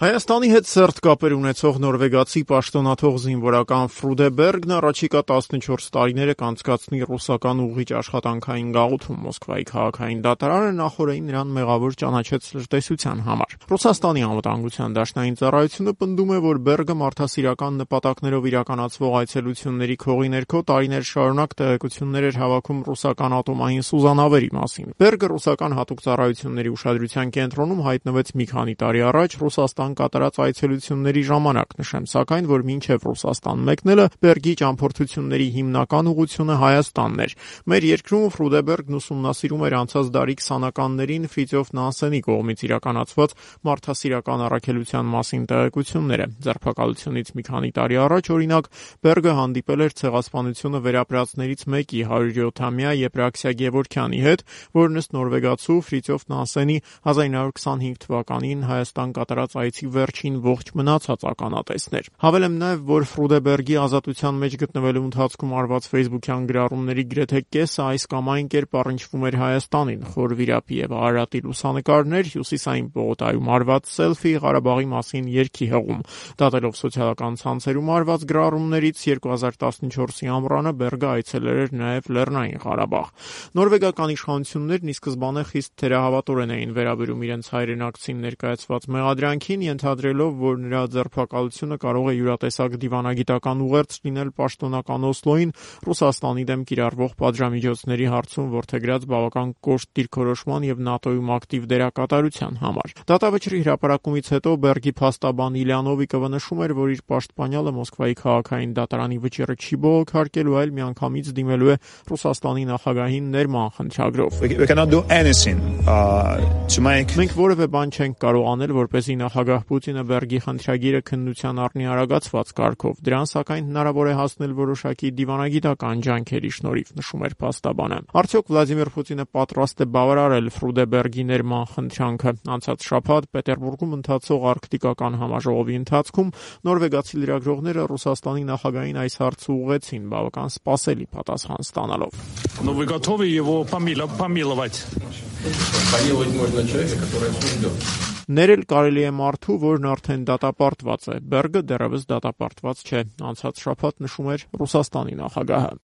Հայաստանի հետ սերտ կապեր ունեցող նորվեգացի պաշտոնաթող զինվորական Ֆրուդե Բերգն առաջիկա 14 տարիները կանցկացնի ռուսական ուղղիչ աշխատանքային գաղութում։ Մոսկվայի քաղաքային դատարանը նախօրեին նրան մեղավոր ճանաչեց լրտեսության համար։ Ռուսաստանի անվտանգության դաշնային ծառայությունը պնդում է, որ Բերգը մարդասիրական նպատակներով իրականացվող այցելությունների քողի ներքո տարիներ շարունակ տեղեկություններ էր հավաքում ռուսական ատոմային սուզանավերի մասին։ Բերգը ռուսական հատուկ ծառայությունների ուշադրության կենտրոնում հայտնվեց մի քանի տարի առաջ Ռուսաստան կատարած այցելությունների ժամանակ, նշեմ սակայն, որ մինչև Ռուսաստան մեկնելը Բերգի ճամփորդությունների հիմնական ուղղությունը Հայաստանն էր։ Մեր երկրում Ֆրուդե Բերգն ուսումնասիրում էր անցած դարի 20-ականներին Ֆրիդյոֆ Նանսենի կողմից իրականացված մարդասիրական առաքելության մասին տեղեկությունները։ Ձերբակալությունից մի քանի տարի առաջ, օրինակ, Բերգը հանդիպել էր ցեղասպանությունը վերապրածներից մեկի 107-ամյա Եփրաքսիա Գևորգյանի հետ, որն ըստ նորվեգացու Ֆրիդյոֆ Նանսենի 1925 թվականին Հայաստան կատարած այցի վերջին ողջ մնացած ականատեսն էր։ Հավելեմ նաև, որ Ֆրուդե Բերգի ազատության մեջ գտնվելու ընթացքում արված ֆեյսբուքյան գրառումների գրեթե կեսը այս կամ այն կերպ առնչվում էր Հայաստանին։ Խոր վիրապի եւ Արարատի լուսանկարներ, Հյուսիսային պողոտայում արված սելֆի, Ղարաբաղի մասին երգի հղում։ Դատելով սոցիալական ցանցերում արված գրառումներից 2014-ի ամռանը Բերգը այցելել էր նաև Լեռնային Ղարաբաղ։ Նորվեգական իշխանություններն ի սկզբանե խիստ թերահավատորեն էին վերաբերում իրենց հայրենակցին ներկայացված մեղադրանքին, ենթադրելով, որ նրա ձերբակալությունը կարող է յուրատեսակ դիվանագիտական ուղերձ լինել պաշտոնական Օսլոյին Ռուսաստանի դեմ կիրառվող պատժամիջոցների հարցում որդեգրած բավական կոշտ դիրքորոշման եւ ՆԱՏՕ-ում ակտիվ դերակատարության համար։ Դատավճռի հրապարակումից հետո Բերգի փաստաբան Իլյանովիկովը նշում էր, որ իր պաշտպանյալը Մոսկվայի քաղաքային դատարանի վճիռը չի բողոքարկելու, այլ միանգամից դիմելու է Ռուսաստանի նախագահին ներման խնդրագրով։ Մենք որևէ բան չենք կարող անել, որպեսզի նախագահ Պուտինը Բերգի խնդրագիրը քննության առնի արագացված կարգով։ Դրան սակայն հնարավոր է հասնել որոշակի դիվանագիտական ջանքերի շնորհիվ, նշում էր փաստաբանը։ Արդյոք Վլադիմիր Պուտինը պատրաստ է բավարարել Ֆրուդե Բերգի ներման խնդրանքը։ Անցած շաբաթ Պետերբուրգում ընթացող արկտիկական համաժողովի ընթացքում նորվեգացի լրագրողները Ռուսաստանի նախագահին այս հարցը ուղղեցին, բավական սպասելի պատասխան ստանալով։ Вы готовы его помиловать? Помиловать можно человека, который осужден. Ներել կարելի է մարդու, որն արդեն դատապարտված է։ Բերգը դեռևս դատապարտված չէ։ Անցած շաբաթ նշում էր Ռուսաստանի նախագահը։